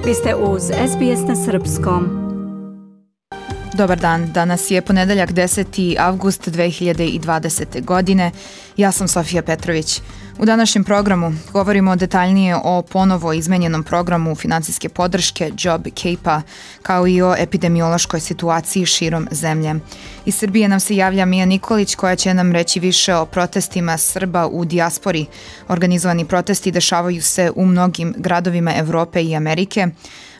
Vi ste uz SBS na Srpskom. Dobar dan, danas je ponedeljak 10. avgust 2020. godine. Ja sam Sofija Petrović. U današnjem programu govorimo detaljnije o ponovo izmenjenom programu finansijske podrške JobKeepa, kao i o epidemiološkoj situaciji širom zemlje. Iz Srbije nam se javlja Mija Nikolić koja će nam reći više o protestima Srba u dijaspori. Organizovani protesti dešavaju se u mnogim gradovima Evrope i Amerike.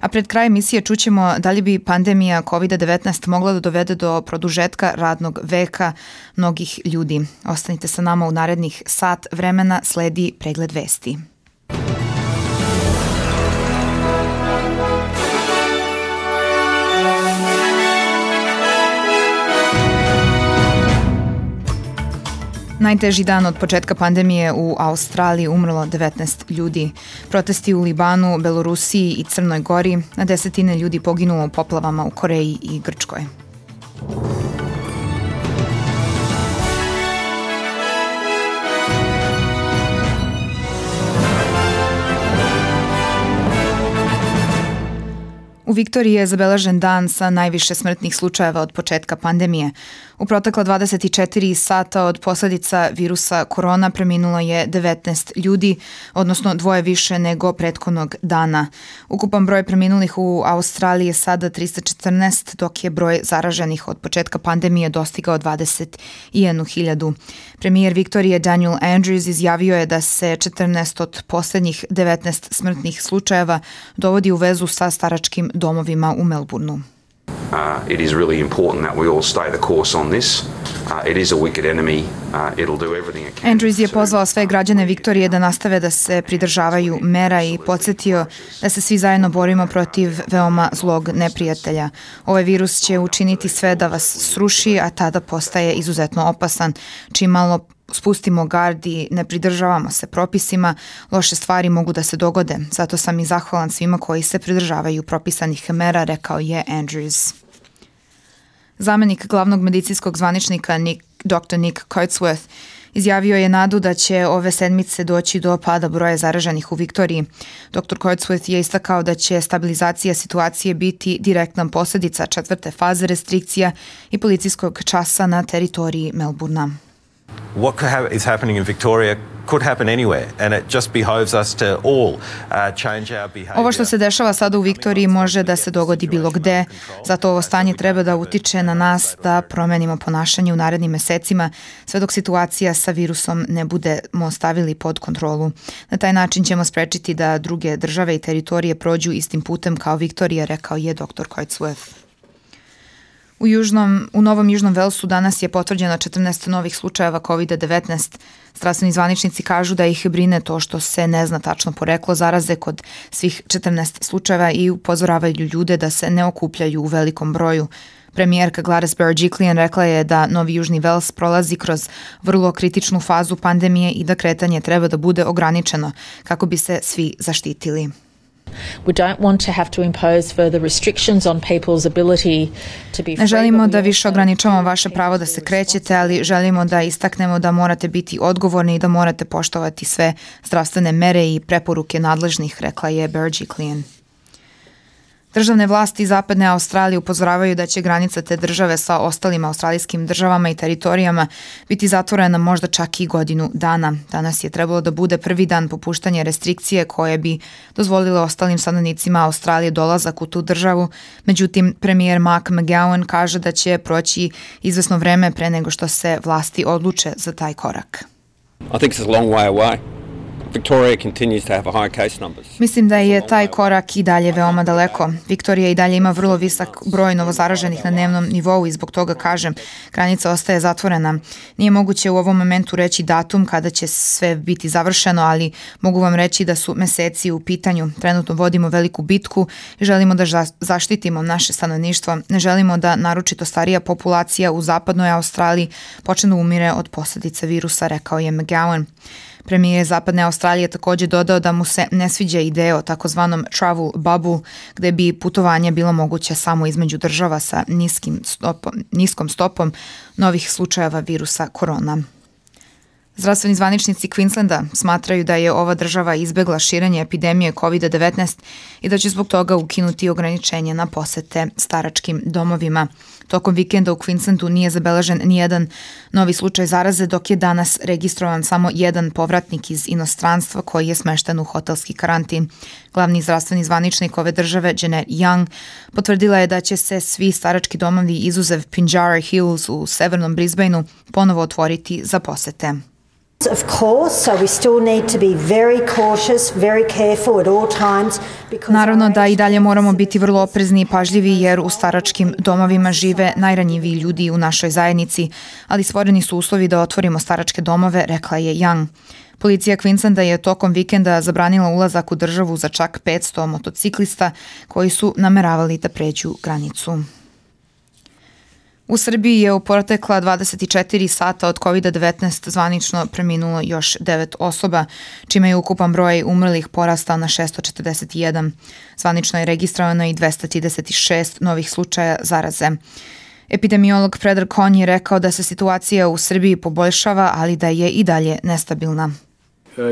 A pred kraj emisije čućemo da li bi pandemija COVID-19 mogla da dovede do produžetka radnog veka mnogih ljudi. Ostanite sa nama u narednih sat vremena, sledi pregled vesti. Najteži dan od početka pandemije u Australiji umrlo 19 ljudi. Protesti u Libanu, Belorusiji i Crnoj Gori, na desetine ljudi poginulo u poplavama u Koreji i Grčkoj. U Viktoriji je zabeležen dan sa najviše smrtnih slučajeva od početka pandemije. U protekla 24 sata od posljedica virusa korona preminulo je 19 ljudi, odnosno dvoje više nego prethodnog dana. Ukupan broj preminulih u Australiji je sada 314, dok je broj zaraženih od početka pandemije dostigao 21.000. Premijer Viktorije Daniel Andrews izjavio je da se 14 od posljednjih 19 smrtnih slučajeva dovodi u vezu sa staračkim domovima u Melbourneu. It is really important that we all stay the course on this. It is a wicked enemy. It'll do everything it can. Andrews je pozvao sve građane Viktorije da nastave da se pridržavaju mera i podsjetio da se svi zajedno borimo protiv veoma zlog neprijatelja. Ovaj virus će učiniti sve da vas sruši, a tada postaje izuzetno opasan. Čim malo spustimo gard i ne pridržavamo se propisima, loše stvari mogu da se dogode. Zato sam i zahvalan svima koji se pridržavaju propisanih mera, rekao je Andrews. Zamenik glavnog medicinskog zvaničnika Dr. Nick Coatsworth izjavio je nadu da će ove sedmice doći do pada broja zaraženih u Viktoriji. Dr. Coatsworth je istakao da će stabilizacija situacije biti direktna posljedica 4. faze restrikcija i policijskog časa na teritoriji Melbournea. What is happening in Victoria could happen anywhere, and it just behoves us to all change our behavior. Ovo što se dešava sada u Viktoriji može da se dogodi bilo gde, zato ovo stanje treba da utiče na nas da promenimo ponašanje u narednim mesecima, sve dok situacija sa virusom ne budemo stavili pod kontrolu. Na taj način ćemo sprečiti da druge države i teritorije prođu istim putem kao Viktorija, rekao je dr. Coatsworth. U Novom Južnom Velsu danas je potvrđeno 14 novih slučajeva COVID-19. Zdravstveni zvaničnici kažu da ih brine to što se ne zna tačno poreklo zaraze kod svih 14 slučajeva i upozoravaju ljude da se ne okupljaju u velikom broju. Premijerka Gladys Berejiklian rekla je da Novi Južni Vels prolazi kroz vrlo kritičnu fazu pandemije i da kretanje treba da bude ograničeno kako bi se svi zaštitili. We don't want to have to impose further restrictions on people's ability to be free. Ne želimo da više ograničavamo vaše pravo da se krećete, ali želimo da istaknemo da morate biti odgovorni i da morate poštovati sve zdravstvene mere i preporuke nadležnih, rekla je Berejiklian. Državne vlasti Zapadne Australije upozoravaju da će granica te države sa ostalim australijskim državama i teritorijama biti zatvorena možda čak i godinu dana. Danas je trebalo da bude prvi dan popuštanja restrikcije koje bi dozvolile ostalim stanovnicima Australije dolazak u tu državu. Međutim, premijer Mark McGowan kaže da će proći izvesno vreme pre nego što se vlasti odluče za taj korak. I think it's a long way away. Victoria continues to have high case numbers. Mislim da je taj korak i dalje veoma daleko. Viktorija i dalje ima vrlo visok broj novozaraženih na dnevnom nivou i zbog toga kažem, granica ostaje zatvorena. Nije moguće u ovom momentu reći datum kada će sve biti završeno, ali mogu vam reći da su meseci u pitanju. Trenutno vodimo veliku bitku i želimo da zaštitimo naše stanovništvo. Ne želimo da naročito starija populacija u zapadnoj Australiji počne da umire od posljedica virusa, rekao je McGowan. Premijer Zapadne Australije također dodao da mu se ne sviđa ideja o takozvanom travel bubble, gde bi putovanje bilo moguće samo između država sa niskom stopom novih slučajeva virusa korona. Zdravstveni zvaničnici Queenslanda smatraju da je ova država izbegla širenje epidemije COVID-19 i da će zbog toga ukinuti ograničenje na posete staračkim domovima. Tokom vikenda u Queenslandu nije zabeležen nijedan novi slučaj zaraze, dok je danas registrovan samo jedan povratnik iz inostranstva koji je smešten u hotelski karantin. Glavni zdravstveni zvaničnik ove države, Janet Young, potvrdila je da će se svi starački domovi izuzev Pinjarra Hills u severnom Brisbaneu ponovo otvoriti za posete. Of course, so we still need to be very cautious, very careful at all times. Naravno da i dalje moramo biti vrlo oprezni i pažljivi jer u staračkim domovima žive najranjiviji ljudi u našoj zajednici, ali stvoreni su uslovi da otvorimo staračke domove, rekla je Young. Policija Queenslanda je tokom vikenda zabranila ulazak u državu za čak 500 motociklista koji su nameravali da pređu granicu. U Srbiji je u protekla 24 sata od COVID-19 zvanično preminulo još 9 osoba, čime je ukupan broj umrlih porastao na 641. Zvanično je registrovano i 236 novih slučaja zaraze. Epidemiolog Predrag Konj je rekao da se situacija u Srbiji poboljšava, ali da je i dalje nestabilna.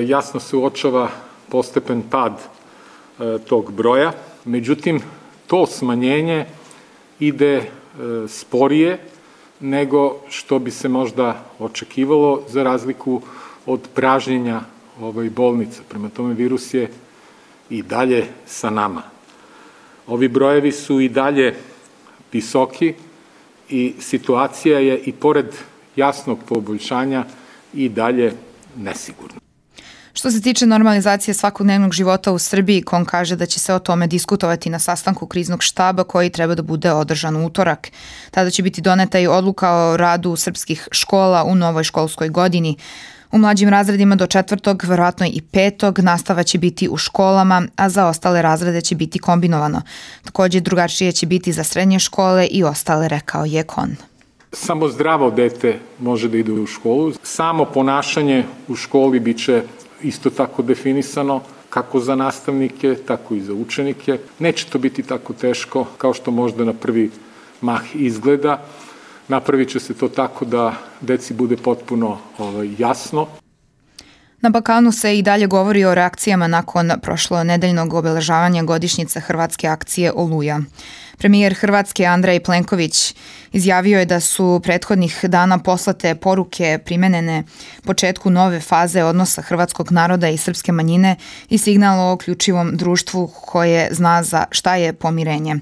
Jasno se uočava postepen pad tog broja, međutim to smanjenje ide sporije nego što bi se možda očekivalo za razliku od pražnjenja bolnica. Prema tome virus je i dalje sa nama. Ovi brojevi su i dalje visoki i situacija je i pored jasnog poboljšanja i dalje nesigurna. Što se tiče normalizacije svakodnevnog života u Srbiji, Kon kaže da će se o tome diskutovati na sastanku kriznog štaba koji treba da bude održan u utorak. Tada će biti doneta i odluka o radu srpskih škola u novoj školskoj godini. U mlađim razredima do 4., verovatno i 5. nastava će biti u školama, a za ostale razrede će biti kombinovano. Također drugačije će biti za srednje škole i ostale, rekao je Kon. Samo zdravo dete može da ide u školu. Samo ponašanje u školi biće isto tako definisano kako za nastavnike, tako i za učenike. Neće to biti tako teško kao što možda na prvi mah izgleda. Napravit će se to tako da deci bude potpuno jasno. Na Balkanu se i dalje govori o reakcijama nakon prošlonedeljnog obeležavanja godišnjice hrvatske akcije Oluja. Premijer Hrvatske Andrej Plenković izjavio je da su prethodnih dana poslate poruke primenjene početku nove faze odnosa hrvatskog naroda i srpske manjine i signal o uključivom društvu koje zna za šta je pomirenje.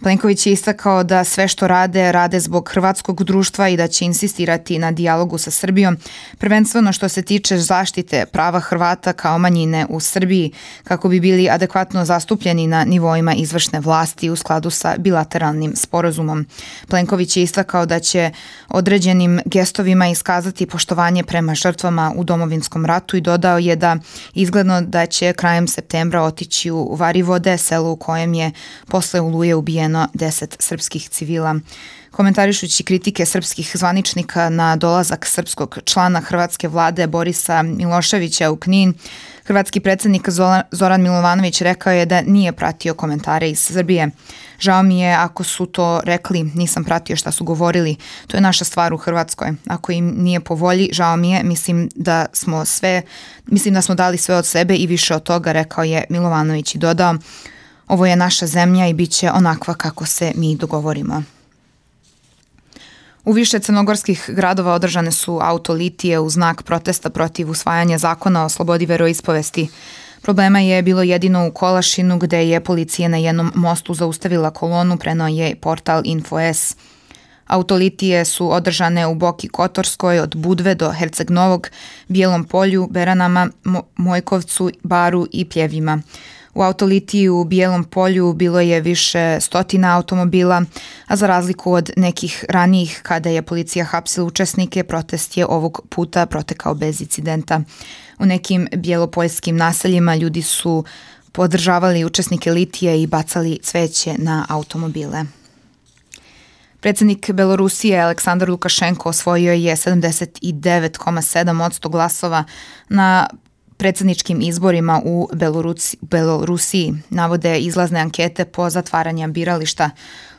Plenković je istakao da sve što rade zbog hrvatskog društva i da će insistirati na dijalogu sa Srbijom, prvenstveno što se tiče zaštite prava Hrvata kao manjine u Srbiji, kako bi bili adekvatno zastupljeni na nivoima izvršne vlasti u skladu sa bilateralnim sporazumom. Plenković je istakao da će određenim gestovima iskazati poštovanje prema žrtvama u Domovinskom ratu i dodao je da izgledno da će krajem septembra otići u Varivode, selo u kojem je posle Oluje ubijeno 10 srpskih civila. Komentarišući kritike srpskih zvaničnika na dolazak srpskog člana hrvatske vlade Borisa Miloševića u Knin, hrvatski predsjednik Zoran Milovanović rekao je da nije pratio komentare iz Srbije. Žao mi je ako su to rekli, nisam pratio šta su govorili. To je naša stvar u Hrvatskoj. Ako im nije po volji, žao mi je, mislim da smo dali sve od sebe i više od toga, rekao je Milovanović i dodao: ovo je naša zemlja i bit će onakva kako se mi dogovorimo. U više crnogorskih gradova održane su autolitije u znak protesta protiv usvajanja zakona o slobodi veroispovesti. Problema je bilo jedino u Kolašinu gde je policija na jednom mostu zaustavila kolonu, preneo je portal Info.s. Autolitije su održane u Boki Kotorskoj od Budve do Herceg Novog, Bijelom Polju, Beranama, Mojkovcu, Baru i Pljevima. U autolitiji u Bijelom Polju bilo je više stotina automobila, a za razliku od nekih ranijih kada je policija hapsila učesnike, protest je ovog puta protekao bez incidenta. U nekim bjelopoljskim naseljima ljudi su podržavali učesnike litije i bacali cveće na automobile. Predsjednik Belorusije Aleksandar Lukašenko osvojio je 79,7% glasova na predsjedničkim izborima u Belorusiji, navode izlazne ankete po zatvaranju birališta.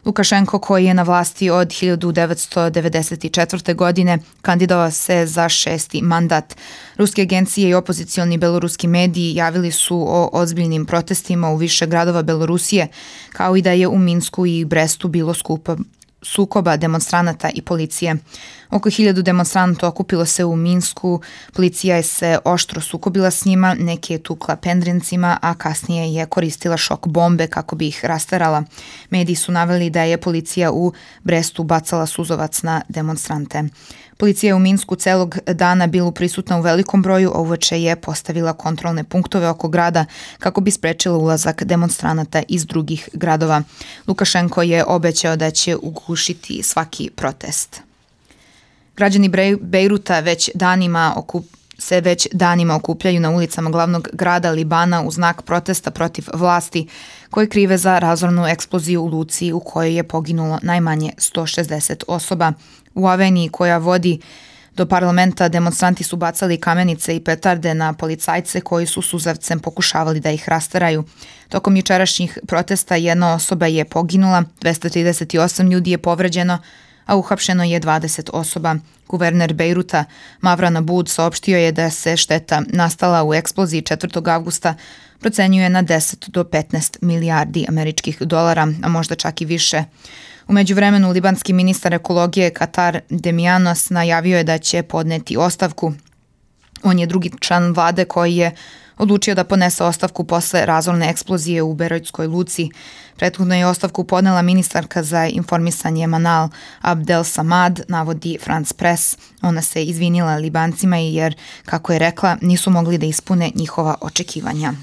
Lukašenko, koji je na vlasti od 1994. godine, kandidovao se za 6. mandat. Ruske agencije i opozicioni beloruski mediji javili su o ozbiljnim protestima u više gradova Belorusije, kao i da je u Minsku i Brestu bilo sukoba demonstranata i policije. Oko 1000 demonstranata okupilo se u Minsku, policija je se oštro sukobila s njima, neke je tukla pendrencima, a kasnije je koristila šok bombe kako bi ih rasterala. Mediji su naveli da je policija u Brestu bacala suzovac na demonstrante. Policija je u Minsku celog dana bila prisutna u velikom broju, a uveče je postavila kontrolne punktove oko grada kako bi sprečila ulazak demonstranata iz drugih gradova. Lukašenko je obećao da će ugušiti svaki protest. Građani Bejruta već danima okupljaju na ulicama glavnog grada Libana u znak protesta protiv vlasti koje krive za razornu eksploziju u luci u kojoj je poginulo najmanje 160 osoba. U Aveniji koja vodi do parlamenta demonstranti su bacali kamenice i petarde na policajce koji su suzavcem pokušavali da ih rasteraju. Tokom jučerašnjih protesta jedna osoba je poginula, 238 ljudi je povređeno, a uhapšeno je 20 osoba. Guverner Bejruta Mavran Abud saopštio je da se šteta nastala u eksploziji 4. avgusta procenjuje na 10 do 15 milijardi američkih dolara, a možda čak i više. U međuvremenu libanski ministar ekologije Katar Demianos najavio je da će podneti ostavku. On je drugi član vlade koji je odlučio da podnese ostavku posle razorne eksplozije u Berojtskoj luci. Prethodno je ostavku podnela ministarka za informisanje Manal Abdel Samad, navodi France Press. Ona se izvinila Libancima jer, kako je rekla, nisu mogli da ispune njihova očekivanja.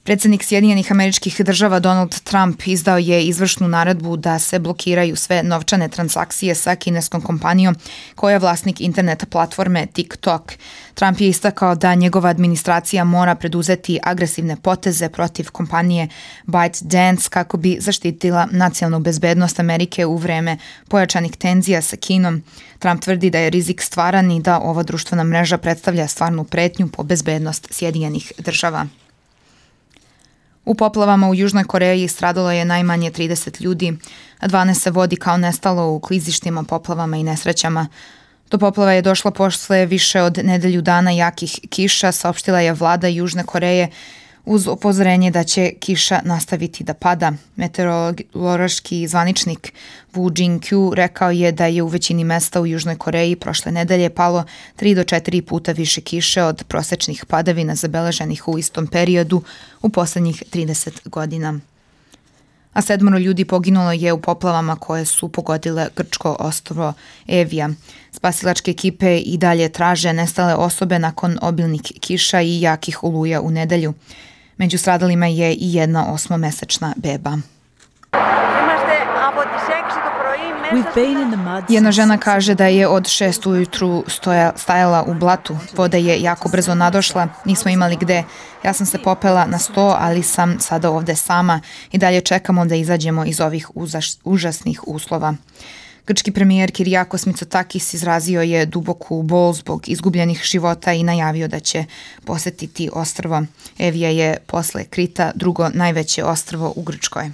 Predsjednik Sjedinjenih Američkih Država Donald Trump izdao je izvršnu naredbu da se blokiraju sve novčane transakcije sa kineskom kompanijom koja je vlasnik internet platforme TikTok. Trump je istakao da njegova administracija mora preduzeti agresivne poteze protiv kompanije ByteDance kako bi zaštitila nacionalnu bezbednost Amerike u vreme pojačanih tenzija sa Kinom. Trump tvrdi da je rizik stvaran i da ova društvena mreža predstavlja stvarnu pretnju po bezbednost Sjedinjenih Država. U poplavama u Južnoj Koreji stradalo je najmanje 30 ljudi, a 12 se vodi kao nestalo u klizištima, poplavama i nesrećama. Do poplava je došla posle više od nedelju dana jakih kiša, saopštila je vlada Južne Koreje uz upozorenje da će kiša nastaviti da pada. Meteorološki zvaničnik Woo Jin-kyu rekao je da je u većini mesta u Južnoj Koreji prošle nedelje palo 3 do 4 puta više kiše od prosečnih padavina zabeleženih u istom periodu u poslednjih 30 godina. A 7 ljudi poginulo je u poplavama koje su pogodile grčko ostrvo Evija. Spasilačke ekipe i dalje traže nestale osobe nakon obilnih kiša i jakih oluja u nedelju. Među stradalima je i jedna 8-mesečna beba. Jedna žena kaže da je od 6 ujutru stajala u blatu. Voda je jako brzo nadošla, nismo imali gde. Ja sam se popela na sto, ali sam sada ovde sama i dalje čekamo da izađemo iz ovih užasnih uslova. Grčki premijer Kyriakos Mitsotakis izrazio je duboku bol zbog izgubljenih života i najavio da će posetiti ostrvo. Evija je posle Krita drugo najveće ostrvo u Grčkoj.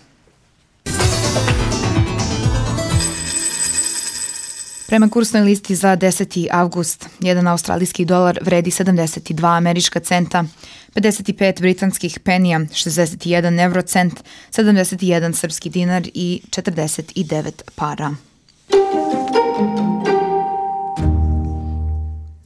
Prema kursnoj listi za 10. avgust, jedan australijski dolar vredi 72 američka centa, 55 britanskih penija, 61 eurocent, 71 srpski dinar i 49 para.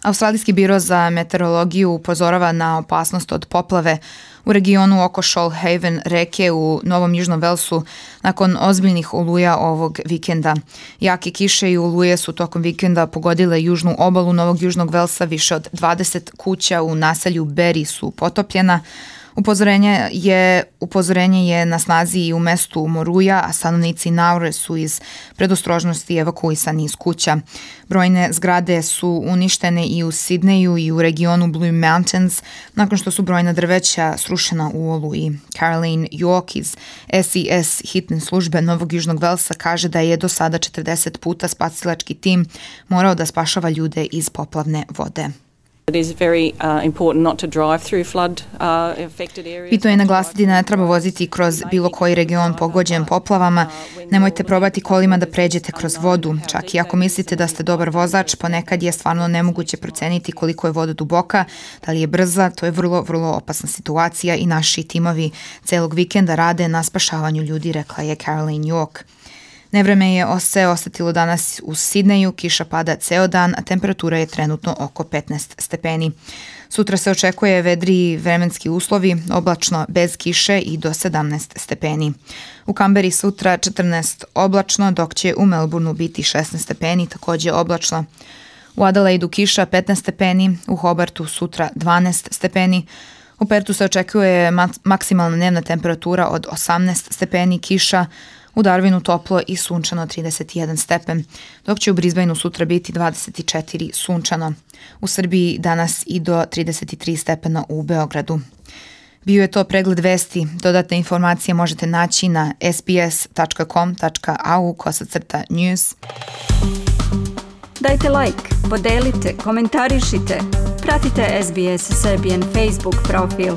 Australijski biro za meteorologiju upozorava na opasnost od poplave u regionu oko Shoalhaven reke u Novom Južnom Velsu nakon ozbiljnih oluja ovog vikenda. Jake kiše i oluje su tokom vikenda pogodile južnu obalu Novog Južnog Velsa, više od 20 kuća u naselju Berry su potopljena. Upozorenje je na snazi i u mestu Moruja, a stanovnici Naure su iz predostrožnosti evakuisani iz kuća. Brojne zgrade su uništene i u Sidneju i u regionu Blue Mountains nakon što su brojna drveća srušena u oluji. Caroline York iz SES hitne službe Novog Južnog Velsa kaže da je do sada 40 puta spasilački tim morao da spašava ljude iz poplavne vode. It is very important not to drive through flood affected areas. Bitno je naglasiti da ne treba voziti kroz bilo koji region pogođen poplavama. Nemojte probati kolima da pređete kroz vodu. Čak i ako mislite da ste dobar vozač, ponekad je stvarno nemoguće proceniti koliko je voda duboka, da li je brza. To je vrlo, vrlo opasna situacija i naši timovi celog vikenda rade na spašavanju ljudi, rekla je Caroline York. Nevreme je se osetilo danas u Sidneju, kiša pada ceo dan, a temperatura je trenutno oko 15 stepeni. Sutra se očekuje vedriji vremenski uslovi, oblačno bez kiše i do 17 stepeni. U Kamberi sutra 14 oblačno, dok će u Melbourneu biti 16 stepeni, takođe oblačno. U Adelaidu kiša 15 stepeni, u Hobartu sutra 12 stepeni, u Pertu se očekuje maksimalna dnevna temperatura od 18 stepeni, kiša, u Darwinu toplo i sunčano 31 stepen, dok će u Brisbaneu sutra biti 24 sunčano. U Srbiji danas i do 33 stepena u Beogradu. Bio je to pregled vesti. Dodatne informacije možete naći na sbs.com.au/news. Dajte like, podelite, komentarišite. Pratite SBS Serbian Facebook profil.